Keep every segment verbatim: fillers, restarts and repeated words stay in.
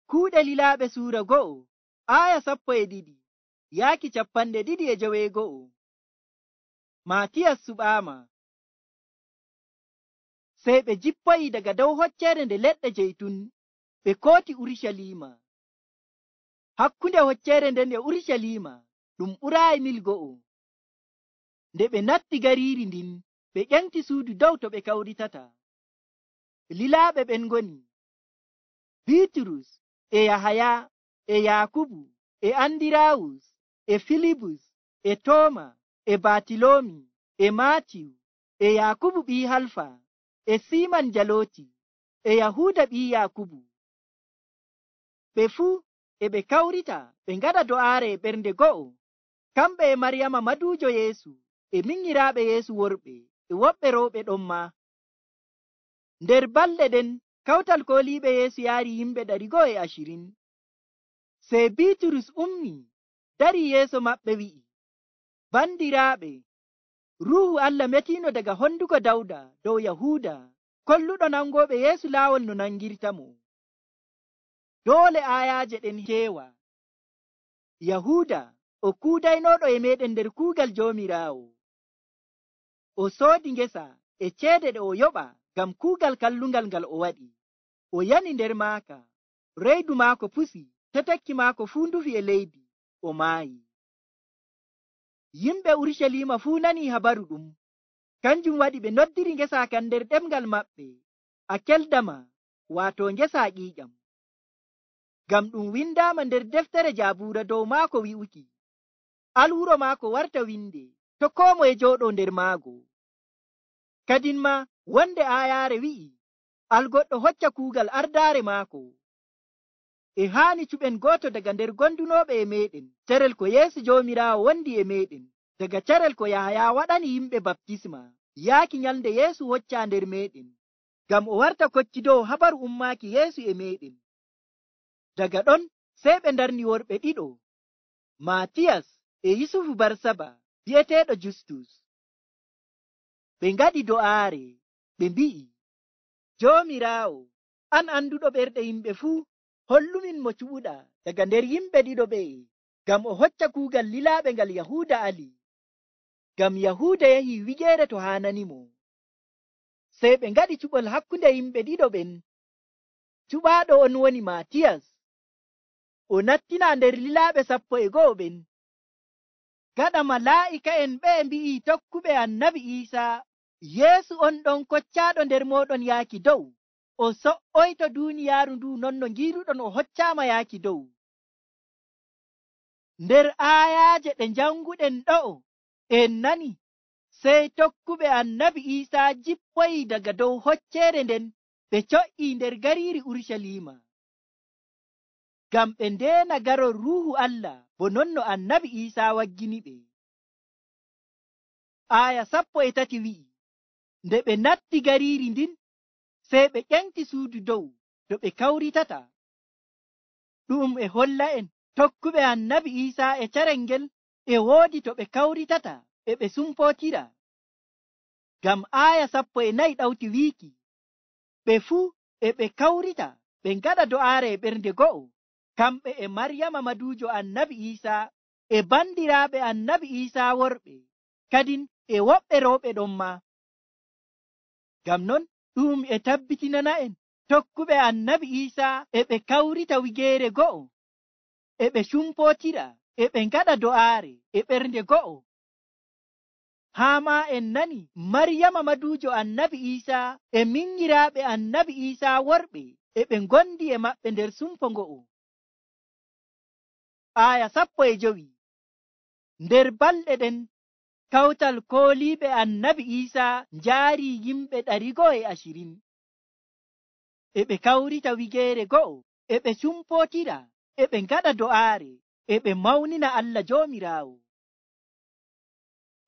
Kuuɗe lilaaɓe suura go'o aya sappo e ɗiɗi yaaki capanɗe ɗiɗi e joweego'o. Maatiyas suɓaama. Sey ɓe jippoyi daga dow hocceere nde leɗɗe jeytun ɓe kooti Urucaliima. Hakkunde hocceere nden e Urucaliima ɗum ɓuraayi mil go'o. Nde ɓe natti gariiri ndin ɓe ƴenti suudu dow to ɓe kawritata. Lilaaɓe ɓen ngoni Biiturus e Yahaya e Yaakubu e Andiraawus e Filibus e Tooma e Batiloomi e Maatiyu e Yaakubu ɓii Halfa e Siiman Jalooti e Yahuuda ɓii Yaakubu. Ɓe fuu e ɓe kawrita ɓe ngaɗa do'aare e ɓernde go'o, kamɓe e Maryama maduujo Yeesu e minyiraaɓe Yeesu worɓe e woɓɓe rewɓe ɗon maa. Nder balɗe ɗen kawtal kooliiɓe Yeesu yaari yimɓe ɗari go'o e ashirin. Sey Biiturus ummii darii yeeso maɓɓe wi'i, bandiraaɓe, Ruuhu Allah metiino daga honduko Dawda dow Yahuuda kolluɗo nangooɓe Yeesu laawol no nangirtamo. Doole aayaaje ɗen keewa. Yahuuda o kuudaynooɗo e meeɗen nder kuugal Joomiraawo. O soodi ngesa e ceede ɗe o yoɓa ngam kuugal kallungal ngal o waɗi. O yani nder maaka, reedu maako pusi, tetekki maako fuu ndufi e leydi, o maayi. Yimɓe Urucaliima fuu nanii habaru ɗum, kanjum waɗi ɓe noddiri ngesa kan nder ɗemngal maɓɓe Akeldama, waato ngesa ƴiiƴam. Ngam ɗum windaama nder deftere Jaabuura dow maako wi'uki, alwuro maako warta winde to koo moye jooɗoo nder maago. Kadin maa wonde aayaare wi'i, algoɗɗo hocca kuugal ardaare maako. E haani cuɓen gooto daga nder gondunooɓe e meeɗen carel ko Yeesu Joomiraawo wondi e meeɗen, daga carel ko Yahaya waɗani yimɓe baptisma yaaki nyalnde Yeesu hoccaa nder meeɗen, ngam o warta koccidowo habaru ummaaki Yeesu e meeɗen. Daga ɗon sey ɓe ndarni worɓe ɗiɗo, Maatiyas e Yusufu Barsaba bi'eteeɗo Justus. Ɓe ngaɗi do'aare, ɓe mbi'i, Joomiraawo, an anduɗo ɓerɗe yimɓe fuu, hollumin mo cuɓuɗaa daga nder yimɓe ɗiɗo ɓe'e, ngam o hocca kuugal lilaaɓe ngal Yahuuda ali, ngam Yahuuda yahii wigeere to haananimo. Sey ɓe ngaɗi cuɓol hakkunde yimɓe ɗiɗo ɓen. Cuɓaaɗo on woni Maatiyas. O nattinaa nder lilaaɓe sappo e go'o ɓen. Gaɗa malaa'ika'en ɓe mbi'i tokkuɓe annabi Iisaa, Yeesu on ɗon koccaaɗo nder mooɗon yaaki dow, o so''oyto duuniyaaru ndu non no ngiiruɗon o hoccaama yaaki dow. Nder aayaaje ɗe njanguɗen ɗo'o en nani, sey tokkuɓe annabi Iisaa jippoyi daga dow hocceere nden ɓe co'ii nder gariiri Urucaliima, ngam ɓe ndeena garol Ruuhu Allah bo non no annabi Iisaa waggini ɓe. Aaya sappo e tati wi'i, nde ɓe natti gariiri ndin, sey ɓe ƴenti suudu dow to ɓe kawritata. Ɗum e holla en tokkuɓe annabi Iisaa e carel ngel e woodi to ɓe kawritata e ɓe sumpootira. Ngam aaya sappo e nayi ɗawti wiiki, ɓe fuu e ɓe kawrita ɓe ngaɗa do'aare e ɓernde go'o, kamɓe e Maryama maduujo annabi Iisaa e bandiraaɓe annabi Iisaa worɓe, kadin e woɓɓe rewɓe ɗon maa. Ngam non ɗum e tabbitinana en tokkuɓe annabi Iisaa e ɓe kawrita wigeere go'o, e ɓe cumpootira, e ɓe ngaɗa do'aare e ɓernde go'o. Haa maa en nani Maryama maduujo annabi Iisaa e minyiraaɓe annabi Iisaa worɓe e ɓe ngondi e maɓɓe nder sumpo ngo'o. Aaya sappo e jowi. Nder balɗe ɗen kawtal kooliiɓe annabi Iisaa njaari yimɓe ɗari go'o e ashirin. E ɓe kawrita wigeere go'o, e ɓe cumpootira, e ɓe ngaɗa do'aare, e ɓe mawnina Allah Joomiraawo.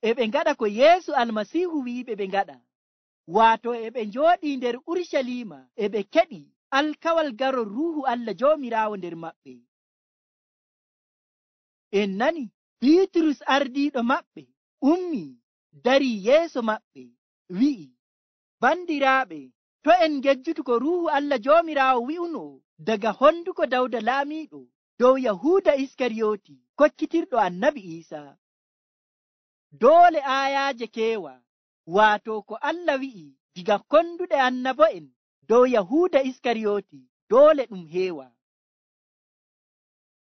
E ɓe ngaɗa ko Yeesu Almasiihu wi'iɓe ɓe ngaɗa, waato e ɓe njooɗii nder Urucaliima e ɓe keɗi alkawal garol Ruuhu Allah Joomiraawo nder maɓɓe. En nani Biiturus ardiiɗo maɓɓe ummii darii yeeso maɓɓe wi'i, bandiraaɓe, to en ngejjutu ko Ruuhu Allah Joomiraawo wi'uno daga honduko Dawda laamiiɗo dow Yahuuda Iskariyooti kokkitirɗo annabi Iisaa. Doole aayaaje keewa, waato ko Allah wi'i diga konduɗe annabo'en dow Yahuuda Iskariyooti doole ɗum heewa.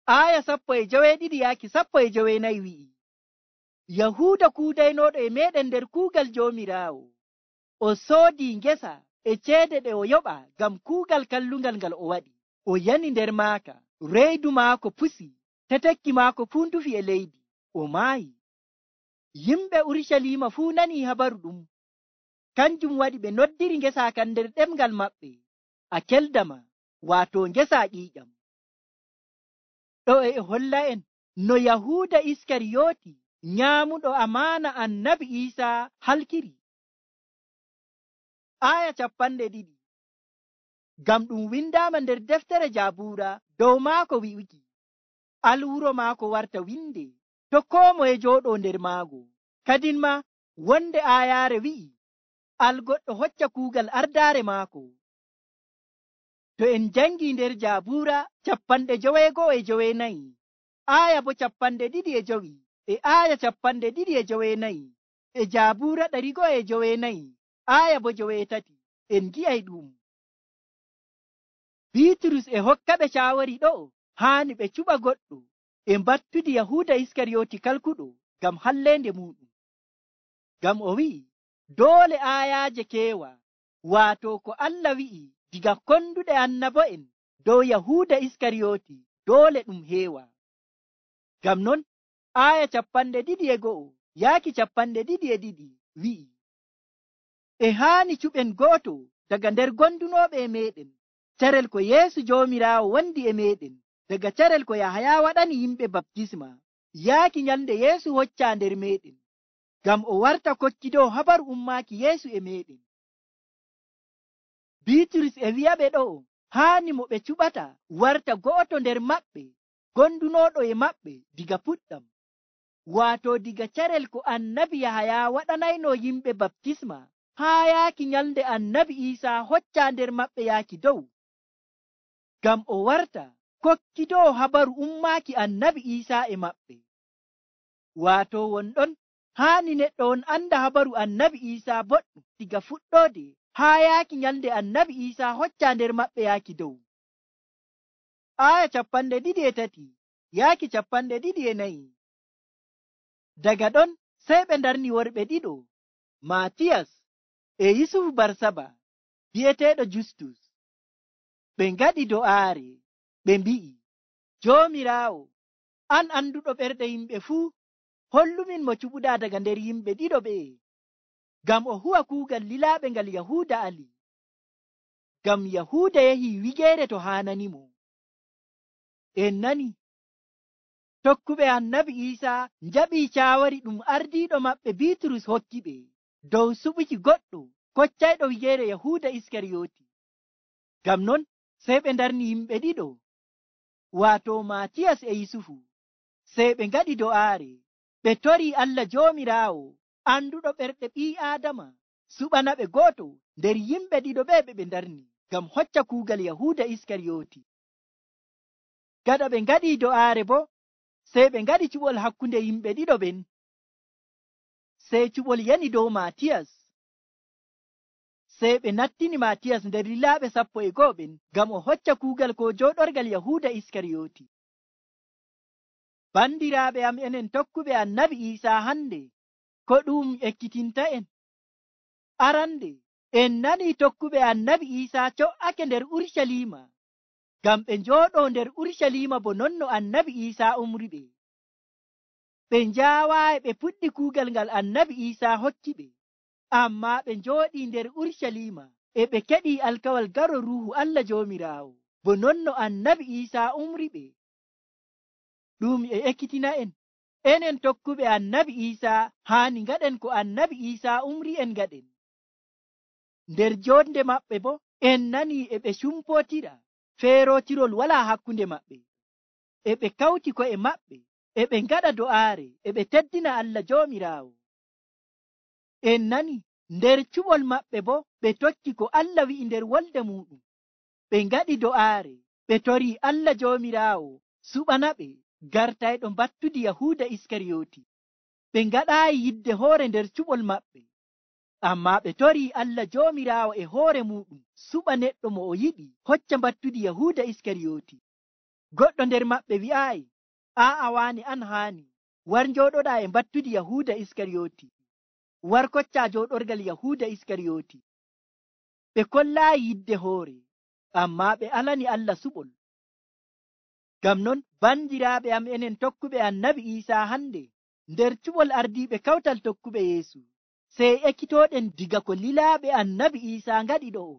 Aaya sappo e joweeɗiɗi yaaki sappo e joweenayi wi'i, Yahuuda kuudaynooɗo e meeɗen nder kuugal Joomiraawo, o soodii ngesa e ceede ɗe o yoɓa ngam kuugal kallungal ngal o waɗi. O yani nder maaka, reedu maako pusi, tetekki maako fuu ndufi e leydi, o maayi. Yimɓe Urucaliima fuu nanii habaru ɗum. Kanjum waɗi ɓe noddiri ngesa kan nder ɗemngal maɓɓe, Akeldama, waato ngesa ƴiiƴam. Ɗo e holla'en no Yahuuda Iskariyooti nyaamuɗo amaana annabi Iisaa halkiri. Aaya capanɗe ɗiɗi. Ngam ɗum windaama nder deftere Jaabuura dow maako wi'uki, alwuro maako warta winde, to koo moye jooɗoo nder maago. Kadin ma wonde aayaare wi'i, al goɗɗo hocca kuugal ardaare maako. To en jangii nder Jaabuura capanɗe joweego'o e joweenayi, aaya bo capanɗe ɗiɗi e jowi, e aaya capanɗe ɗiɗi e joweenayi, e Jaabuura ɗari go'o e joweenayi, aaya bo joweetati, en gi'ay ɗum. Biiturus e hokkaɓe caawari ɗo haani ɓe cuɓa goɗɗo e mbattudi Yahuuda Iskariyooti kalkuɗo ngam halleende muɗum. Ngam o wi'i, doole aayaaje keewa, waato ko Allah wi'i diga konduɗe annabo'en dow Yahuuda Iskariyooti doole ɗum heewa. Ngam non aaya capanɗe ɗiɗi e go'o yaaki capanɗe ɗiɗi e ɗiɗi wi'i, e haani cuɓen go'oto daga nder gondunooɓe e meeɗen, carel ko Yeesu Joomiraawo wondi e meeɗen, daga carel ko Yahaya waɗani yimɓe baptisma, yaaki nyalnde Yeesu hoccaa nder meeɗen, ngam o warta kokkido habaru ummaaki Yeesu e meeɗen. Biiturus e wi'aɓe ɗo haani mo ɓe cuɓata warta go'oto nder maɓɓe, gondunooɗo e maɓɓe diga puɗɗam, waato diga carel ko annabi Yahaya waɗanayno yimɓe baptisma haa yaaki nyalnde annabi Iisaa hoccaa nder maɓɓe yaaki dow, ngam o warta kokkidoo habaru ummaaki annabi Iisaa e maɓɓe. Waato wonɗon haani neɗɗo on anda habaru annabi Iisaa boɗɗum diga fuɗɗoode haa yaaki nyalnde annabi Iisaa hoccaa nder maɓɓe yaaki dow. Aaya capanɗe ɗiɗi e tati yaaki capanɗe ɗiɗi e nayi. Daga ɗon sey ɓe ndarni worɓe ɗiɗo, Maatiyas e Yusufu Barsaba bi'eteeɗo Justus. Ɓe ngaɗi do'aare, ɓe mbi'i, Joomiraawo, an anduɗo ɓerɗe yimɓe fuu, hollumin mo cuɓuɗaa daga nder yimɓe ɗiɗo ɓe'e, ngam o huwa kuugal lilaaɓe ngal Yahuuda ali. Ngam Yahuuda yahii wigeere to haananimo. En nani, tokkuɓe annabi Iisaa njaɓii caawari ɗum ardiiɗo maɓɓe Biiturus hokki ɓe dow suɓuki goɗɗo koccayɗo wigeere Yahuuda Iskariyooti. Ngam non sey ɓe ndarni yimɓe ɗiɗo, waato Maatiyas e Yusufu, sey ɓe ngaɗi do'aare, ɓe torii Allah Joomiraawo anduɗo ɓerɗe ɓii Aadama suɓana ɓe gooto nder yimɓe ɗiɗo ɓe ɓe ɓe ndarni ngam hocca kuugal Yahuuda Iskariyooti. Gaɗa ɓe ngaɗii do'aare bo, sey ɓe ngaɗi cuɓol hakkunde yimɓe ɗiɗo ɓen. Sey cuɓol yani dow Maatiyas, sey ɓe nattini Maatiyas nder lilaaɓe sappo e go'o ɓen ngam o hocca kuugal ko jooɗorgal Yahuuda Iskariyooti. Bandiraaɓe am enen tokkuɓe annabi Iisaa hande, ko ɗum ekkitinta'en? Arande, en nanii tokkuɓe annabi Iisaa co'ake nder Urucaliima, ngam ɓe njooɗoo nder Urucaliima bo non no annabi Iisaa umri ɓe. Ɓe njaawaayi ɓe puɗɗi kuugal ngal annabi Iisaa hokki ɓe, ammaa ɓe njooɗii nder Urucaliima e ɓe keɗii alkawal garo Ruuhu Allah Joomiraawo, bo non no annabi Iisaa umri ɓe. Ɗum e ekkitina'en, enen tokkuɓe annabi Iisaa haani ngaɗen ko annabi Iisaa umri en ngaɗen. Nder joonde maɓɓe bo en nanii e ɓe cumpootira, feerootirol walaa hakkunde maɓɓe, e ɓe kawti ko'e maɓɓe, e ɓe ngaɗa do'aare, e ɓe teddina Allah Joomiraawo. En nani nder cuɓol maɓɓe bo ɓe tokki ko Allah wi'i nder wolde muɗum, ɓe ngaɗi do'aare, ɓe tori Allah Joomiraawo suɓana ɓe gartayɗo battude Yahuuda Iskariyoti. Ɓe ngaɗaayi yidde hoore nder cuɓol maɓɓe, ammaa ɓe tori Allah Joomiraawo e hoore muɗum suɓa neɗɗo mo o yiɗi hocca battude Yahuuda Iskariyoti. Goɗɗo nder maɓɓe wi'aayi, aa'a waani an haani, war njooɗoɗaa e battude Yahuuda Iskariyoti, war koccaa jooɗorgal Yahuuda Iskariyoti. Ɓe kollaayi yidde hoore, ammaa ɓe alani Allah suɓol. Ngam non bandiraaɓe am, enen tokkuɓe Annabi Iisaa hande nder cuɓol ardiiɓe kawtal tokkuɓe Yeesu, sey ekkitooɗen diga ko lilaaɓe Annabi Iisaa ngaɗi ɗo'o.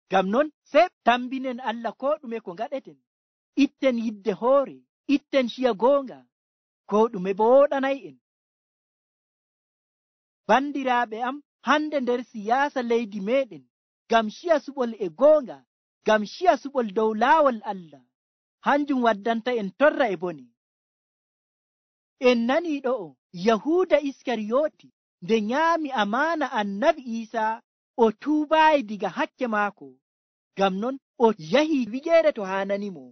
Ngam non sey tambinen Allah koo ɗume ko ngaɗeten, itten yidde hoore, itten ciya goonga, koo ɗume bo wooɗanay'en. Bandiraaɓe am, hande nder siyaasa leydi meɗen, ngam ciya suɓol e goonga, ngam ciya suɓol dow laawol Allah, hanjum waddanta en torra e bone. En nanii ɗo'o Yahuuda Iskariyoti nde nyaami amaana Annabi Iisaa, o tuubaayi diga hakke maako. Ngam non o yahi wigeere to haananimo,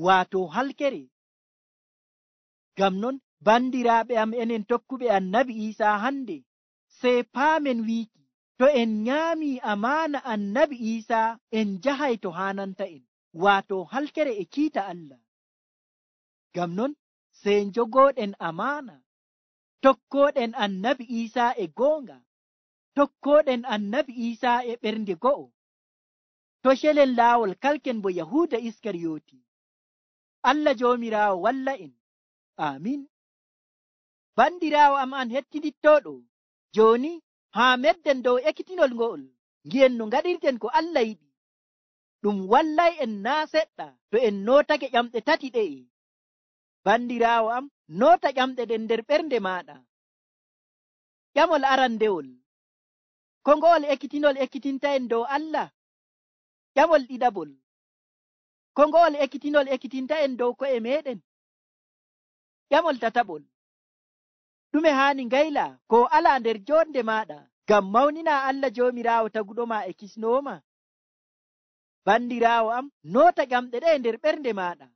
waato halkere. Ngam non bandiraaɓe am, enen tokkuɓe Annabi Iisaa hande, sey paamen wiiki to en nyaami amaana Annabi Iisaa en njahay to haananta en, waato halkere e kiita Allah. Ngam non sey njogooɗen amaana, tokkooɗen Annabi Iisaa e goonga, tokkooɗen Annabi Iisaa e ɓernde go'o, to celen laawol kalken bo Yahuuda Iskariyoti. Allah Joomiraawo walla en. Amin. Bandiraawo am an hettidittooɗo, jooni haa medden dow ekkitinol ngo'ol, ngi'en no ngaɗirten ko Allah yiɗi. Ɗum wallay en naa seɗɗa to en nootake ƴamɗe tati ɗe'e. Bandiraawo am, noota ƴamɗe ɗen nder ɓernde maaɗa. Ƴamol arandewol, ko ngo'ol ekkitinol ekkitinta en dow Allah? Ƴamol ɗiɗaɓol, ko ngo'ol ekkitinol ekkitinta en dow ko'e meɗen? Ƴamol tataɓol, ɗume haani ngayla ko alaa nder jonde maaɗa ngam mawnina Allah Joomiraawo taguɗoma e kisnooma? Bandiraawo am, noota ƴamɗe ɗe nder ɓernde maaɗa.